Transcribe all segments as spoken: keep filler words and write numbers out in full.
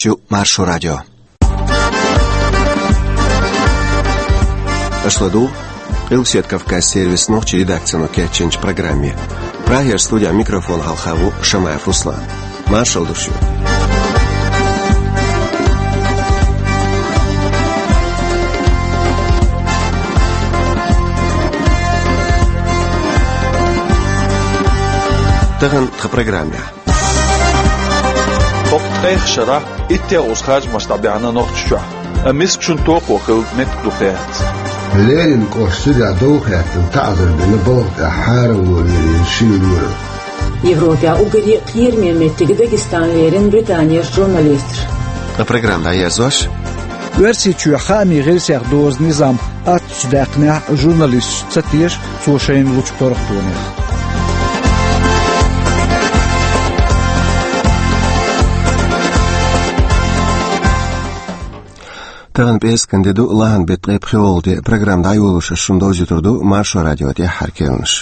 Чу Маршо радио. Аша ладугӀу Къилбаседа Кавказан сервисан нохчийн редакцино кечйинчу программе. Прагера студехь микрофон хьалха ву Шамаев Руслан. Маршалла ду шуьга. Тахана тхан программехь. ХӀокху ткъех шарахь иттех уза харжамаш дӀабаьхьна Нохчийчохь, амма мискачун токхо хилла меттиг ду хаьттича. Ленин кӀоштан сирехь дов хаьттина таӀзар бина балха тӀехь хьарам лоръяр шина лоьрал. Европехь уггаре кхераме меттиг Дагестан лерина Британера журналисташ. Ткъа программа дӀаерзош. Оьрсийчоь хаамийн гӀирсех дозу низам аттачу даьккхинехь журналисташ ца теша цо шайна лучу паргӀатонех. Тахана пӀераскан де ду, лахьан беттан ткъе пхоьалгӀа де. Программа дӀайолош ас шуна довзуьйтур ду Маршо радион тӀаьххьара керланаш.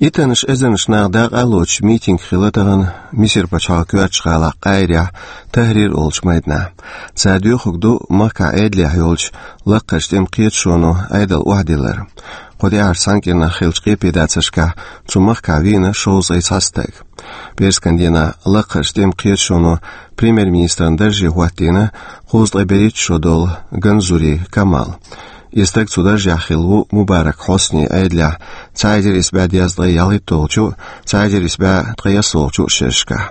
Иттаннаш эзарнаш наха дакъа а лоцуш митинг хилла тахана Мисар пачхьалкхан коьртачу гӀалахь Къаирехь Тахрир олучу майданахь. Цара доьхург ду махкахь Ӏедалехь йолчу лакхарчу тӀеман кхеташоно Ӏедал охьадиллар. Кху тӀаьххьарчу цхьана кӀирнах хиллачу къепедацаршкахь цу махкахь вийна шовзткъе цхьа стаг. ПӀераскан дийнахь лакхарчу тӀеман кхеташоно премьер-министран дарже хӀоттийна кхузткъе берхӀитта шо долу Ганзури Камал. И стаг цу даржехь хилла ву Мубарак Хьосни Ӏедалехь цхьа эзар исс бӀе дезткъе ялхитталгӀачу, цхьа эзар исс бӀе ткъаесналгӀачу шерашкахь.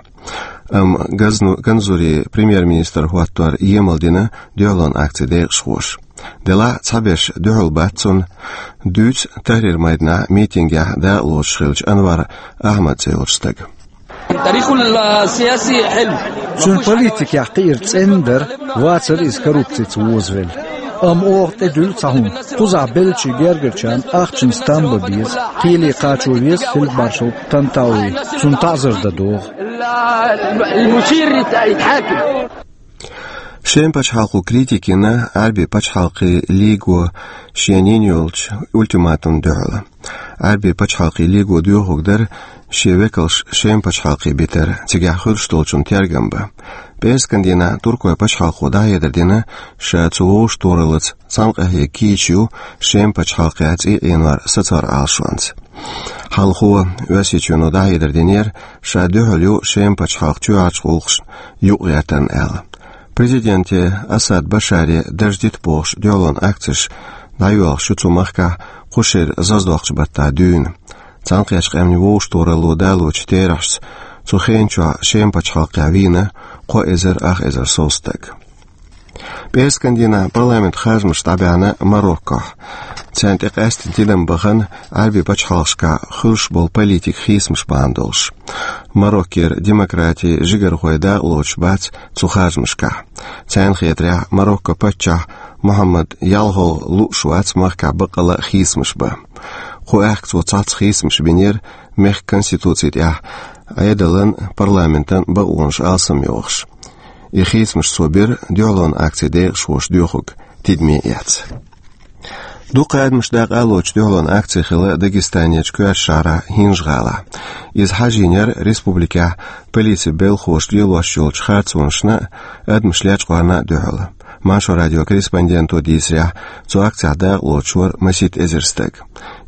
Амма Газну-, Ганзури премьер-министр хӀоттор емал дина дуьхьалонан акцин декъашхоша. Делахь а цхьаберш дуьхьал бац цунна, дуьйцу Тахрир майданахь митингехь дакъа лоцуш хиллачу Анвар Ахьмад цӀе йолчу стага. Цуьнан политикехь кхиар цӀена дара, вацара иза коррупцица вовзавелла. Амма оха тӀедуьллу цхьа хӀума. Кхузахь беллачийн гергарчарна ахчанца там бан беза, кхеле кхачо веза фельдмаршалан Тантауи, цунна таӀзар дан догӀу. Шеман пачхьалкхо критика йина Ӏаьрбийн пачхьалкхийн лиго шена йина йолчу ультиматумна дуьхьал. Ӏаьрбийн пачхьалкхийн лиго доьхург дара шен векалш Шеман пачхьалкхе битар, цигахь хуьлуш долчунна тергам бан. ПӀераскан дийнахь туркойн пачхьалкхо дӀахьедар дина, ша цу вовшахтохараллица цхьана къахьега кийча ю Шеман пачхьалкхехь цӀий Ӏенор сацор Ӏалашонца. Хьалхо Оьрсийчоьно дӀахьедар динера, ша дуьхьал ю Шеман пачхьалкхан чоьхьарчу гӀуллакхашна юкъагӀертарна аьлла. Президенте Асад Башаре дарж дита бохуш дуьхьалонан акцеш дӀайоьлхуш ю цу махкахь кху шеран зазадоккхучу баттахь дуьйна. Цхьаьнакхеттачу къаьмнийн вовшахтохаралло далочу терахьашца цу хенан чохь Шеман пачхьалкхехь вийна кхо эзар ах эзар сов стаг. ПӀераскан дийнахь парламентан харжамаш дӀабаьхьна Мароккохь. Царна тӀе къаьстина тидам бахана Ӏаьрбийн пачхьалкхашкахь хуьлуш болу политикан хийцамаш бахьана долуш. Мароккера демократин жигархой дакъа лоцуш бац цу харжамашкахь. Царна хетарехь, Мароккон паччахь Мухаммад ялхалгӀа лууш вац махкахь баккъалла а хийцамаш бан. Кху аьхка цо цхьацца хийцамаш бинера мехкан конституци тӀехь Ӏедалан, парламентан бакъонаш алсамйохуш. И хийцамаш цо бира дуьхьалонан акцин декъашхоша доьхург тидаме эцна. Дукха адамаш дакъа а лоцуш дуьхьалонан акци хилла Дагестанерчу коьртачу шахьарахь ХӀинжа-ГӀалахь. Иза хьажийнера республикехь полицин белхахоша лелош йолчу харцонашна а, адамаш лечкъорна а дуьхьал. Маршо радион корреспонденто дийцарехь, цу акцехь дакъа лоцуш вара масийтта эзар стаг.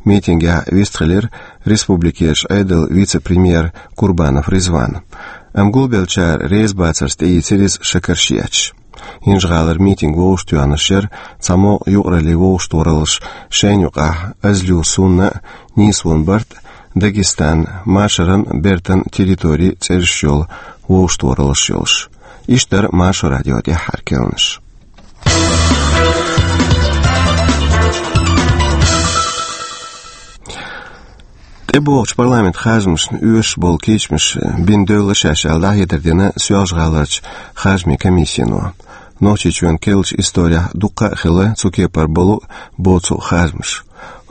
Митингехь вистхилира республикерчу Ӏедалан вице-премьер Курбанов Ризван. Амма гулбеллачара реза бацарца тӀеийцира иза шакарш етташ. ХӀинжа-ГӀалара митинг вовшахтоьхнарш яра цхьамогӀа юкъараллин вовшахтохараллаш, шайна юкъахь Азлю Сунна а, Нийсвон Барт а, Дагестан, Машаран а, Бертан а территори цӀераш йолу вовшахтохараллаш йолуш. Иштта дара Маршо радион тӀаьххьара керланаш. ТӀебогӀучу парламентан харжамашна оьшуш болу кийчамаш бина девлла шаьш аьлла, дӀахьедар дина Соьлжа-ГӀаларчу харжамийн комиссино. Нохчийчоьнан керлачу исторехь дуккха а хилла цу кепара болу а, боцу а харжамаш.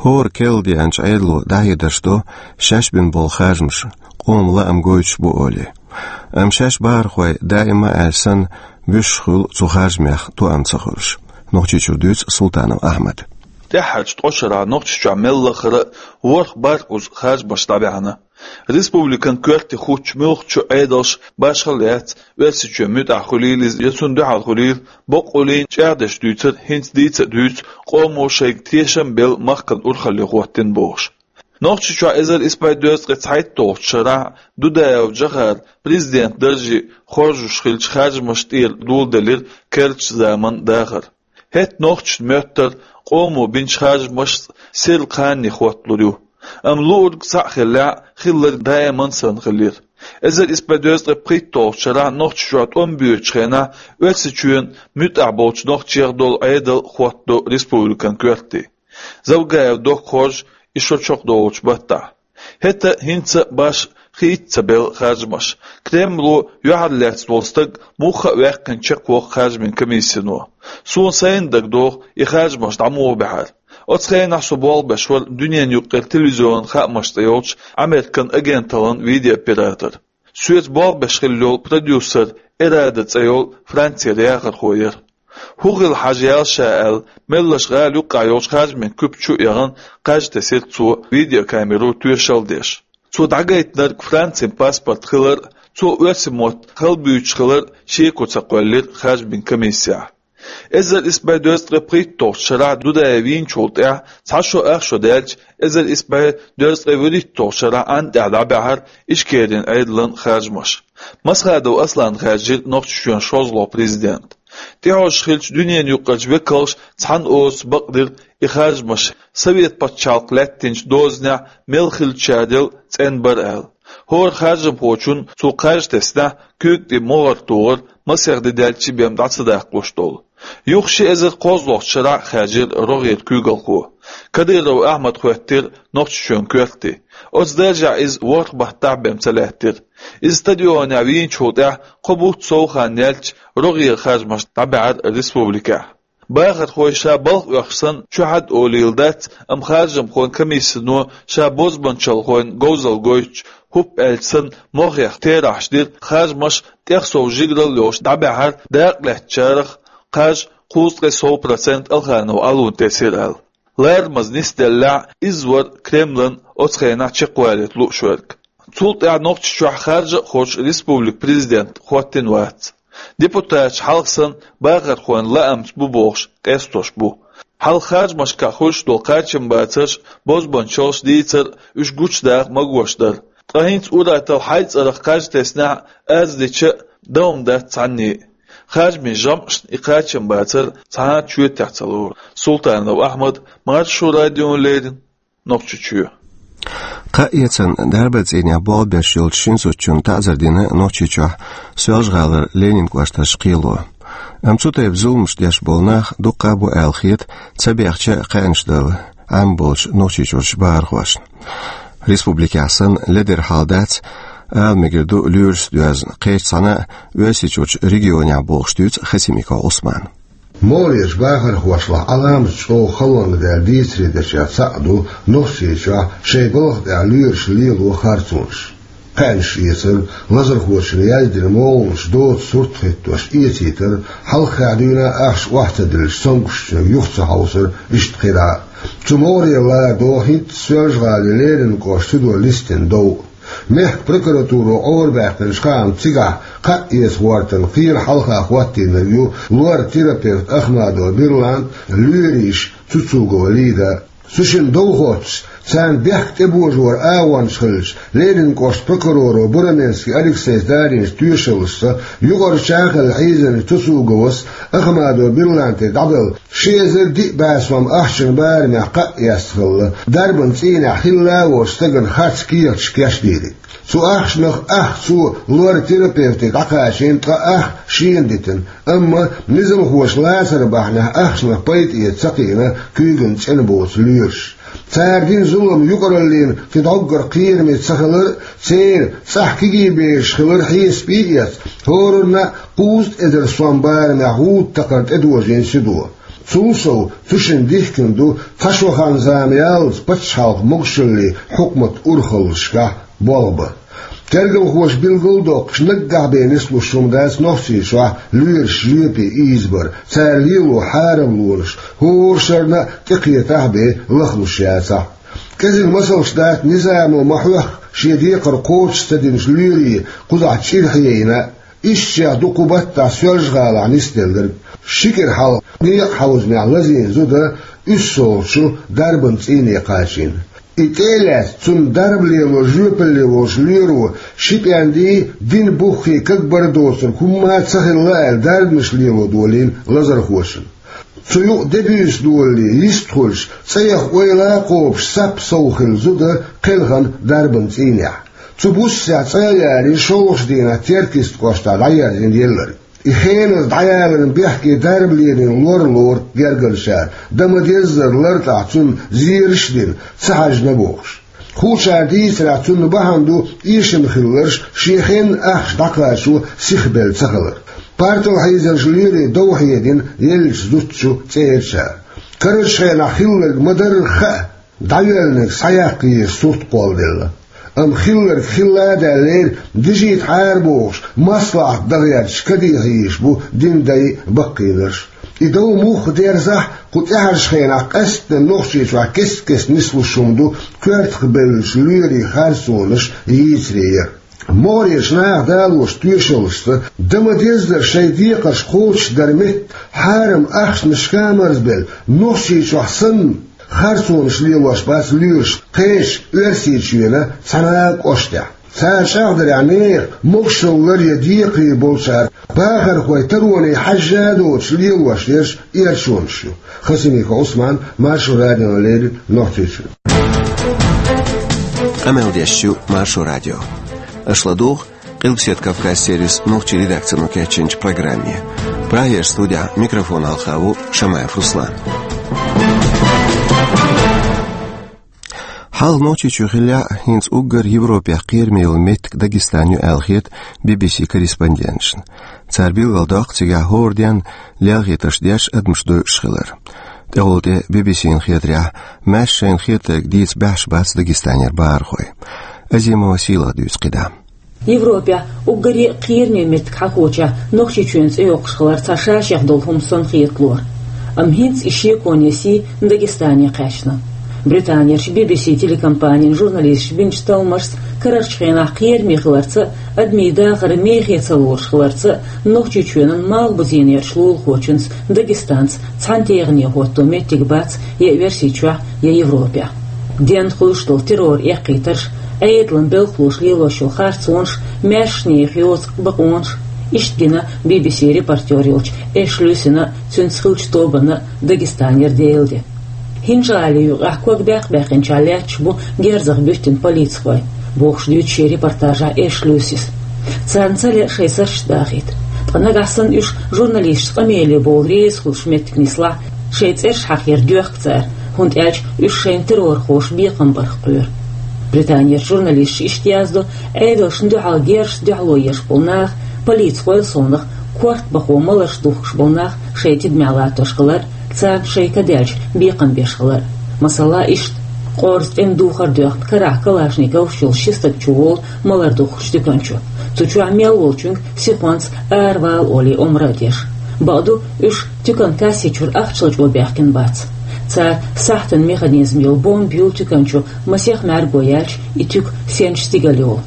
ХӀора керла деанчу Ӏедало дӀахьедарш до, шаьш бина болу харжамаш къоман лаам гойтуш бу олий. Амма шаьш бахархой, даима а аьлла санна, буьсуш хуьлу цу харжамех тоам ца хуьлуш. Нохчийчуьра дуьйцу Султанов Ахьмада. ТӀаьххьарчу ткъа шарахь Нохчийчохь мел лахара а ворхӀ-бархӀ уза харжамаш дӀабаьхьна. Республикан коьрте хӀуттучу муьлххачу Ӏедалша башхалла яц, Оьрсийчоьнан муьтӀахь хуьлийла иза я цунна дуьхьал хуьлийла, боккъалла чӀагӀдеш дуьйцар хӀинца дийца а дуьйцу къомо шайга тешам а белла махкана урхалле хӀоттийна бохуш. Нохчийчохь эзар исс бӀе дезткъе цхьайтталгӀачу шарахь Дудаев Джохара президентан дарже хоржуш хиллачу харжамашна тӀера доладелира керлачу заманан дахар. ХӀетахь нохчашна моьттура къомо бинчу харжамашца сирла кхане хӀотталур ю. Амма луург цхьаъ хиллехь, хилларг даиман санна хилира. Эзар исс бӀе дезткъе пхийтталгӀачу шарахь Нохчийчохь тӀом боьдучу хенахь Оьрсийчоьнан муьтӀахь болчу нохчех долу Ӏедал хӀоттадо республикан коьрте. Завгаев Докка хоржу и шо чекхдолучу баттахь. ХӀетахь а, хӀинца а башха хийца ца белла харжамаш. Кремло юьхьарлаьцна волу стаг муха а ваьккхина чекхвоккху харжамийн комиссино. Суна сайна дагадогӀу и харжамаш дӀа муха баьхьара. Оцу хенахь со болх беш вара дуьненаюкъара телевизионан хаамаш цӀе йолчу Американ агенталлин видеооператор. Соьца болх беш хилла йолу продюсер Эрада цӀе йолу Францера яхархо яра. ХӀун хилла хьажа яьлла ша аьлла, меллаша гӀала юккъехь йолчу харжамийн куьпа чу а яхана, кхаж тесира цо, видеокамеро тоьшалла деш. Цо дӀагайтинарг Францин паспорт хилар а, цо оьрсийн мотт хала буьйцуш хилар а шеко ца кхоьллира харжамийн комиссехь. Эзар исс бӀе дезткъе пхийтталгӀачу шарахь Дудаев вийначул тӀаьхьа цхьа шо, ах шо даьлча, эзар исс бӀе дезткъе вуьрхӀитталгӀачу шарахь Ӏан тӀехь дӀабаьхьара Ичкерин Ӏедалан харжамаш. Масхадов Аслан хаьржира Нохчийчоьнан шолгӀа президент. ТӀехьожуш хиллачу дуьненаюкъарчу векалша цхьана озаца бакъдира и харжамаш, Совет пачхьалкх лаьттинчу дозанехь мел хиллачарел цӀена бара аьлла. ХӀора харжамхочунна цо кхаж теснехь, куьйга тӀе могӀар тухар масех де даьлча бен дӀа ца даккхалуш долу. Юха ши эзар кхозлагӀчу шарахь хаьржира рогӀера куьйгалхо. Кадыров Ахьмад хӀоьттира Нохчийчоьнан коьрте. Оцу даржехь иза ворхӀ баттахь бен ца лаьттира. Иза стадионехь вийначул тӀаьхьа кхо бутт сов хан яьлча, рогӀера харжамаш дӀабаьхьара республикехь. Бахархой ша балха оьхуш санна чухьа а олийла дац, амма харжамхойн комиссино ша бозбанчалхойн говзалла гойтуш, хӀуп аьлча санна, мохех терахьаш дира, харжамаш тӀех сов жигаралла йолуш дӀабаьхьара, дакъа лаьцначарах кхаж кхузткъе сов процент Алханов Ӏалун тесира аьлла. Ларамаза нисделлехь, иза вара Кремлан оцу хенахь чекхвалийта лууш верг. Цул тӀаьхьа Нохчийчохь харжа а хоржуш республикан президент хӀоттийна вац. Депутаташ хьалха санна бахархойн лаамца бу бохуш къестош бу. Хьалха харжамашкахь хуьлуш долу кхачамбацарш, бозбанчалш дийцар уьш гучудаха магош дара. Ткъа хӀинца ур-атталла хьайн цӀарах кхаж теснехь а, аз дича а, дан хӀума дац цхьанне а. Харжамийн жамӀашна и кхачамбацар цхьа а чоьтехь ца лору. Султанов Ахьмад, Маршо радиона леррина, Нохчийчоь. Кхаа эцарна дарбан цӀийнехь болх беш йолчу шина зудчунна таӀзар дина Нохчийчохь Соьлжа-ГӀалара Ленин кӀоштарчу кхело. Амма цу тайпа зуламаш деш болу нах дуккха а бу аьлла хета, ца бехча а кхаьънаш дала Ӏемина болчу Нохчийчуьрчу бахархошна. Республикехь санна ледара хьал дац, ала мегар ду лоьрашца доьзна кхечу цхьана а Оьрсийчуьрчу регионехь, бохуш дуьйцу Хасимиков Ӏусмана. МогӀарерчу бахархошлахь Ӏаламат чӀогӀа халонга даьлла дийцаре дерг цхьаъ ду Нохчийчохь шайн балха тӀехь лоьраш лело харцонаш. Кхаьънаш эцар, лазархочунна яздина могӀанаш доцу сурт хӀиттош эцийтар, хьалххе дуьйна ахча охьа ца диллича, цомгушчуьнга юха ца хьовсар, иштта кхидӀа а. Цу могӀарера лара догӀу хӀинца Соьлжа-ГӀалин Ленин кӀоштан судо листина дов а. Мехкан прокуратуро Ӏорабаьккхинчу хаамца, цигахь кхаа эца гӀортарна кхера хьалха хӀоттийнарг ю лор-терапевт Ахмадова Бирлант, лоьрийша Цуцугова Лида. Цу шинна дов хоттуш, царна бехк тӀебожоран агӀончаш хиллачу Ленин кӀоштан прокуроро Бураменский Алексейс дарийначу тоьшаллашца, юкъарчу чӀагӀ хилла хьийзинчу Цуцуговас Ахмадова Бирланте дӀабелла ши эзар диъ бӀе сом ахчанан барамехь кхаъ эцна хилла, дарбан цӀийнехь хилла а волчу стагана харц кехаташ кечдийриг. Цу ахчанах ах цо лор-терапевте дӀакхачийна, ткъа ах шена дитина. Амма низамхоша лацар бахьанехь ахчанах пайда эца ца кхиъна куьйгана цӀена боцу лоьраш. Цара дина зулам юкъараллина кхин дӀоггара кхераме ца хилар а, церан цӀахь кегий бераш хилар хьесапе а эцна, хӀоранна а кхузткъа эзар сом барамехь гӀуда такхар тӀедожийна судо. Цул сов, цу шинна дихкина ду цхьа шо хан-зама яллалц пачхьалкхан могушаллин хьукматан урхаллашкахь болх бан. Тергалхоша билгалдоккхуш, наггахь бен нислуш хӀума дац Нохчийчохь лоьраш жоьпе ийзабар, цара лело хьарамлонаш хӀора шарна а тӀекхетахь а бен лахлуш яцахь а. КӀезига масалш дац низамо ма хьоьхху шен декхар кхочуш ца динчу лоьрийн кхузахь чӀир хьаена а. Ишттачех ду кху баттахь Соьлжа-ГӀалахь нисделларг. Ши кӀира хьалха некъахьовзамехь лазийна зуда уьссалгӀачу дарбан цӀийне кхачийна. И тӀе а лаьцна, цунна дарба лело жоьпалле волчу лоьро ши пӀенди, дин буххе кагбар доцург хӀумма а ца хилла аьлла, дарбанаш лело долийна лазархочунна. Цу юкъа де-буьйса долале, йистхуьлуш, цӀа яха ойла а кхобуш, сап сов хилла зуда кхелхина дарбан цӀийнехь. Цу буссехь цӀа а ярий, шолгӀачу дийнахь Теркйист кӀоштахь дӀаерзийна елларг. И хеназа дӀаяларна бехке дарба лелийна лор лору гергарчара, дан ма-деззара лартӀахь цунна зераш а дина, ца хьаьжна бохуш. Хуучара дийцарехь, цунна бахьана ду эшам хилларш шен хенна ахча дӀакхачо сихбелла ца хилар. Партал хьийзарчу лоьрийн дов хьедина еллачу зудчу цӀерачара. Карарчу хенахь хилларг ма-дарра хаа, дӀайоьллинарг схьаяккха еза сурт кхолладелла. Амма хилларг хилла а даьллера, дижийта хьара бохуш, маслахьат дан гӀерташ кадехьа йийш бу динан дай а, баккхийнарш а. И дов муха дерзахь а, кху тӀаьхьарчу хенахь къаьсттина Нохчийчохь кест-кеста нислуш хӀума ду коьртах бевллачу лоьрийн харцонаш йийцаре яр. МогӀарерчу наха далочу тоьшаллашца, дан ма-деззара шайн декхарш кхочушдар метта, хьарам ахчанашка а марзбелла, Нохчийчохь санна, харцонаш лелош бац лоьраш кхечу Оьрсийчоьнан цхьана а кӀоштехь. Цара чӀагӀдарехь, нехан могушаллара я декхаре болчара бахархой тароне хьаьжжа а доцуш лелош ерш эрчонаш ю. Хасимиков Ӏусман, Маршо радиона леррина Нохчийчуьра. Къамел деш ю Маршо радио. Аша ладугӀу Къилбаседа Кавказ сервисан нохчийн редакцино кечйинчу программе. Прагерчу студехь микрофона хьалха ву Шамаев Руслан. Хьалха Нохчийчоь хиллехь а, хӀинца уггар Европехь кхераме йолу меттиг Дагестан ю аьлла хета Би-Би-Си корреспонденташна. Цара билгалдоккху цигахь хӀора денна лелхийтарш деш адамаш дойуш хилар. ТӀехула тӀе Би-Би-Сина хетарехь, маьрша шайна хетарг дийца баьхьаш бац Дагестанера бахархой. Азимова Сийлаха дуьйцу кхидӀа. Европехь уггаре а кхераме меттиг хьахочехь, Нохчийчоьнан цӀе йоккхуш хилар цхьа ша-шех долу хӀума санна хеталора. Амма хӀинца и шеконе сий Дагестане кхаьчна. Британерчу Би-Би-Си телекомпанин журналисташа бинчу талламашца, карарчу хенахь кхераме хиларца а, адамийн дахар мехе ца лоруш хиларца а, Нохчийчоьнан Малхбузенерчу лулахочуьнца Дагестанца цхьана тегӀане хӀотто меттиг бац я Оьрсийчохь, я Европехь. Денна хуьлуш долу террор эккхийтарш, Ӏедалан белхалоша лелош йолу харцонаш маьршанех йоцу бакъонаш, иштта гина Би-Би-Син репортер йолчу Эш Люсина а, цуьнца хиллачу тобанна а Дагестанера Делан де. ХӀинжа-ГӀалин юкъахь ког баьккхи-баьккхинчохь лаьтташ бу герзах буьттина полицихой, бохуш дуьйцу шен репортажехь Эш Люсис. Царна ца лаьа шайн сарчаш дахийта. Ткъа нагахь санна уьш журналисташца къамеле бовла реза хуьлуш меттиг нислахь, шайн цӀераш хьахаяр доьхку цара, хӀунда аьлча уьш шайна террорхоша бекхам барх кхоьру. Британерчу журналисташа иштта яздо, Ӏедалшна дуьхьал герзашца дуьхьало еш болу нах, полицихойн совнаха корта бахо маларш духкуш болу нах шайн тидамехь латтош хилар, царна шайн ка даьлча бекхам беш хилар. Масала, иштта, къорза тӀеман духар доьхна, карахь калашниковаш йолу ши стаг чуволу малар духкучу туькан чу. Цу чохь мел волчуьнга сихонца аравала олий омра а деш. Бакъду, уьш туькан касси чуьра ахча лачкъо баьхкина бац. Цара сахьтан механизм йолу бомба юьллу туькан чу, масех мӀаьрго яьлча, и туька сенчу стигала йолу.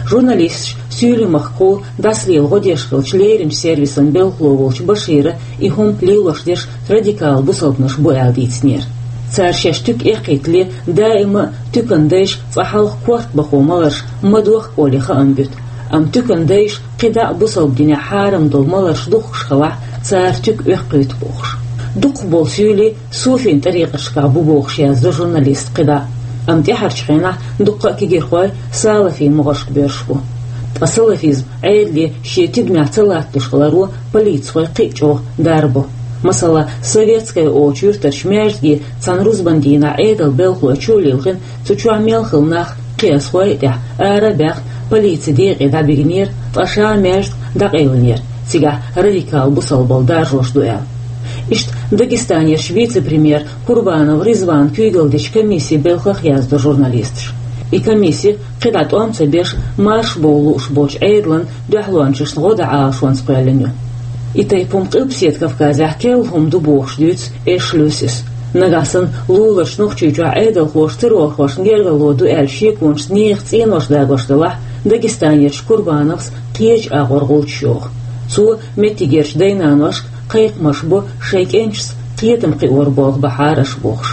Журналисташ Суьйлийн махкахула дӀасалела гӀо деш хиллачу леринчу сервисан белхало волчу Башира и хӀума лелош дерш радикал бусалбанаш бу аьлла дийцинера. Цара шаьш туька эккхийтале даима а туькан дайша цкъа хьалха корта бахо маларш ма дохку олий хаам буьту, амма туькан дайша кхидӀа а бусалба динехь хьарам долу маларш духкуш хилахь, цара туька оьккхуьйту бохуш. Дукхахболу суьйлийн суфийн тӀарикъаташкахь бу бохуш яздо журналиста кхидӀа. Амма тӀаьхьарчу хенахь дуккха а кегийрхой салафийн могӀаршка боьрзуш бу. Ткъа салафизм Ӏедале шен тидамехь ца латталуш хиларо полицихой кхин а чӀогӀа дарбо. Масала, Советская олучу юьртарчу маьждиге цхьана рузбан дийнахь Ӏедалан белхалой чу а лилхина, цу чохь мел хилла нах кхиазхой а тӀехь ара а баьхна, полицин декъе дӀабигнера, ткъа ша маьждиг дӀакъевлинера, цигахь радикал бусалбалла даржош ду аьлла. Иштта Дагестанерчу вице-премьер Курбанов Ризвана куьйгалла дечу комиссин белхах яздо журналисташа. И комисси кхидӀа тӀом ца беш, марша бовла лууш болчу Ӏедалан дуьхьалончашна гӀо дан Ӏалашонца кхоьллина ю. И тайпа хӀума Къилбаседа Кавказехь керла хӀума ду бохуш дуьйцу Эш Люсис. Нагахь санна лулаш Нохчийчохь Ӏедалхоша террорхошна гергарло ду аьлла шеконаш нехан цӀенош дагош делахь, Дагестанерчу Курбановс кхечу агӀор гӀулчаш йоху. Цо меттигерчу дай-наношка кхайкхамаш бо шайн кӀенташца кхетам кхиор болх бахьара аша бохуш.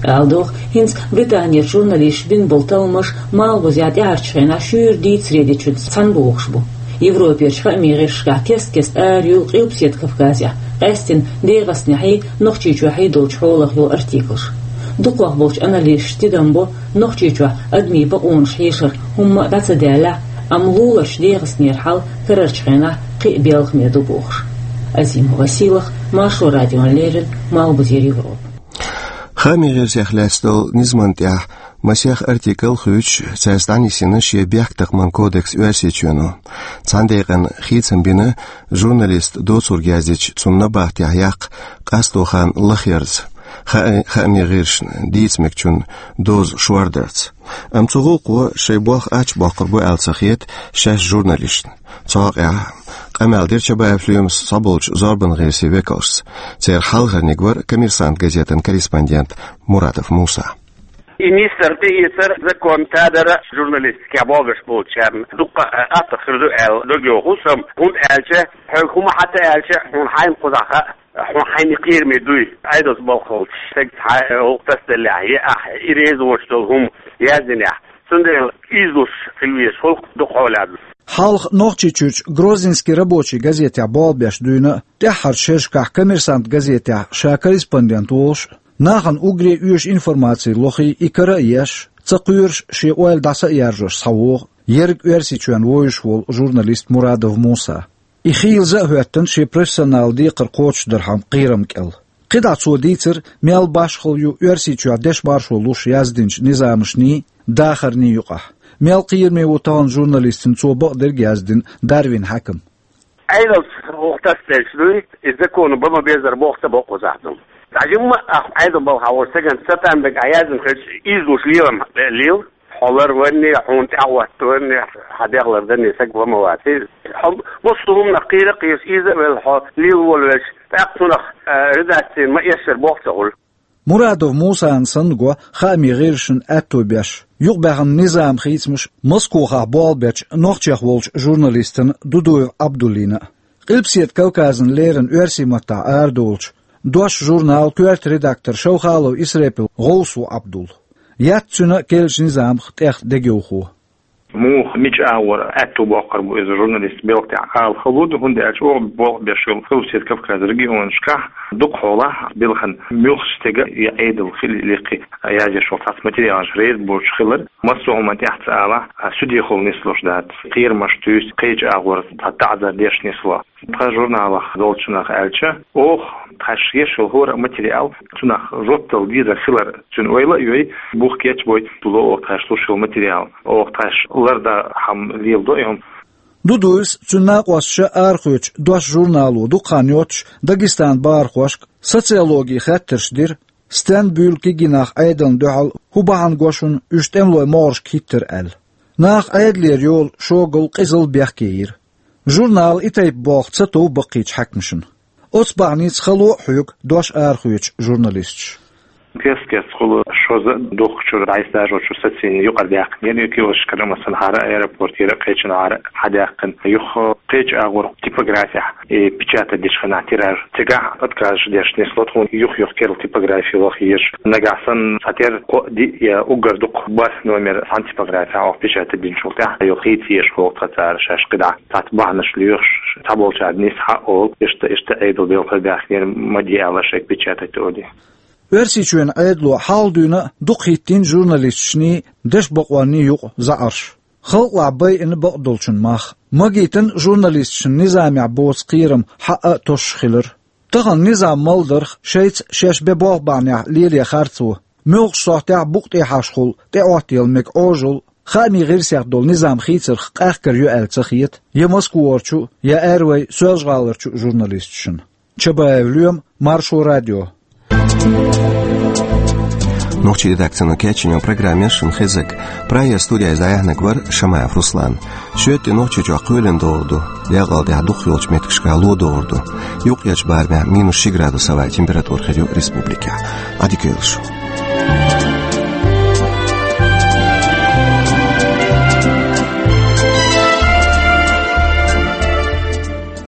Ала догӀу, хӀинца Британерчу журналисташа бина болу талламаш малхбузехь тӀаьхьарчу хенахь шуьйра дийцаре дечуьнца цхьаьна богӀуш бу. Европерчу хаамийн гӀирсашкахь кест-кеста ара юьллу Къилбаседа Кавказехь, къаьсттина ДегӀастанехьий, Нохчийчохьий долчу хьолах йолу артиклаш. Дукхах болчу аналисташа тидам бо, Нохчийчохь адамийн бакъонаш хьешара хӀумма а дӀа ца даьллехь, амма луларчу ДегӀастанера хьал карарчу хенахь кхин а белхаме ду бохуш. Азима Василах, Маршо радиона леррина, Малхбузера Европа. Хаамийн гӀирсех лаьцна долу низамна тӀехь масех артикл хуьйцуш, цаьрца дӀанисйина шен бехктакхаман кодекс Оьрсийчоьно. Цхьана декъана хийцам бина, журналист доцург яздича, цунна набахтехь яккха къасто хан лахъярца, хаа-, хаамийн гӀирсашна дийца мегачун доза шордарца. Амма цу гӀуллакхо шайн болх ачбоккхур бу аьлла ца хета шаьш журналисташна. Цу хьокъехь къамел дира Чабаев Лоьмас цхьаболчу зорбан гӀирсийн векалшца. Церан хьалхарниг вара «Коммерсант» газетан корреспондент Мурадов Муса. И нисдар, тӀеэцар закон тадара журналистикехь болх беш болчарна дуккха а аттагӀа хир ду аьлла дог йоху сан, хӀунда аьлча хьоьга хӀума хьан ца аьлча, хьуна хьайна кхузахь хаьа, хьуна хьайна кхераме дуй, Ӏедалца болх болчу стеган хьан гӀуллакх тасаделлехь, я ахь и реза воцуш долу хӀума яздинехь. Цундела ийзалуш хила везаш хуьлу дукха хьолехь. Хьалха Нохчийчуьрчу «Грозненский рабочий» газетехь болх беш дуьйна а, тӀаьххьарчу шерашкахь «Коммерсант» газетехь ша корреспондент волуш а, нахана уггаре оьшу информаци лохий, и кара а еш, ца кхоьруш шен ойла дӀа ца а яржош схьавогӀу ерриг Оьрсийчоьнна вовзаш волу журналист Мурадов Муса. И хийлаза а хӀоьттина шен профессионал декхар кхочушдархьама кхерам кӀел. КхидӀа цо дийцира, мел башхалла ю Оьрсийчохь дешан маршо луш яздинчу низамашний, дахарний юкъахь. Мел кхераме ву тахана журналистана, цо бакъдерг а яздина Дарвин хьаькам. Ӏедалца гӀуллакх тасаделча дуй, и законо бан ма-беззара болх ца бо кхузахь ду. ДӀа жимма а ахь Ӏедалан балхахь волчу стеган ца тандерг ахь яздина хилча, ийзалуш лелам лела. Хьо ларванне, хьуна тӀаьхьахӀоттаванне, хьан дегӀ ларданне стаг ван ма вац. Хьо массо а хӀуманах кхера а кхераш, ийза а велла, хьо лела волавелча, тӀаккха цунах, а, редакцина ма-эшшара болх ца хуьлу. Мурадов Мусана санна го хаамийн гӀирсашна аьтто беш, юкъабаьхна низаман хийцамаш Москохахь болх бечу нохчех волчу журналистана Дудуев Ӏабдуллина а. Къилбаседа Кавказана леррина оьрсийн маттахь арадолучу «Дош» журналан коьрта редактор Шовхалов Исрепил гӀовс ву Ӏабдул. Яц цуьнан а керлачу низамах тӀех дегайовхо. Муха, мича агӀор аьтто боккхур бу иза журналистан белхан тӀехь ала хала ду, хӀунда аьлча оха болх беш йолу Къилбаседа Кавказан регионашкахь дукха хьолахь белхан муьлххачу стеган я Ӏедал хилла, я лекха язъеш волу цхьацца материалаш реза боцуш хилар. Массо а хӀуманна тӀехь ца алахь, а, судехула нислуш дац. Кхерамаш туьйсу, кхечу агӀор цхьа таӀзар деш нисло. Тхан журналах долчунах аьлча, оха тхаьш еш йолу хӀора а материал, цунах жоп дала дезар хилар цуьнан ойла а йой, бух кечбой, ло оха тхаьш луш йолу материал. Оха тхаьш лардан хӀума леладо и хӀума. Дудуевс, цуьнан накъосташа арахоьцучу «Дош» журнало дукха хан йоццуш Дагестанан бахархошка социологин хаттарш дира, стенна буьйлу кегий нах Ӏедална дуьхьал, хӀун бахьана го шуна уьш тӀемалойн могӀаршка хӀиттар аьлла. Нах Ӏедалера йолу шогал, къизал бехке йира. Журнала и тайпа болх ца тов баккхийчу хьаькамашна. Оцу бахьаница хало а хьоьгу «Дош» арахоьцучу журналисташа. Кест-кеста хуьлу шозза а дукхачуьра дӀасадажочуьра сацийна юкъара даьккхинера, и киоскашкара а, массанхьара а, аэропортера а, кхечанхьара а хьадаьккхина. Юха кхечу агӀор типографехь и печатать дечу хенахь тираж цигахь отказ деш нисло тхуна, юх-юха керла типографи лаха езаш. Нагахь санна цхьатерра кхоъ, диъ я уггар дукха бархӀ номер цхьана типографехь оха печатать динчул тӀаьхьа, юха хийца езаш хӀокху цхьацара шаьш кхидӀа цхьацца бахьанаш лоьхуш, цхьаболчара нисса хьаолу, иштта, иштта Ӏедалан белхар баьхкинера, ма де аьлла шайга печатать олий. Оьрсийчоьнан Ӏедало хьалха дуьйна а дукха хӀиттийна журналисташний, дешан бакъонний юкъа заӀарш. Халкъалахь байина бакъдолчун мах. Магийтина журналисташна низамехь боцу кхерам хьаъа а тосуш хилар. Тахана низам малдарх шайца шаьш бен болх бахьанехь лелае харцо, муьлххачу сохьтехь букъ тӀехьашхула тӀеӀоттаяла мега Ӏожалла, хаамийн гӀирсех долу низам хийцарх къахкар ю аьлла ца хета я Москварчу, я Аьррой Соьлжа-ГӀаларчу журналисташна. Чабаев Лоьма, Маршо радио. Нохчийн редакцино кечйина программа яр шун хезарг. Прагера студияйче дӀаяьхьнарг вар Шамаев Руслан. Шоайла тӀа Нохчийчохь кхоьлина догӀур ду, декъала тӀехь дукхахйолчу меттигашкахь ло догӀур ду. Юккъерчу барамехь минус ши градус хӀаваан температура хир ю республикехь. Ӏадика йойла шу.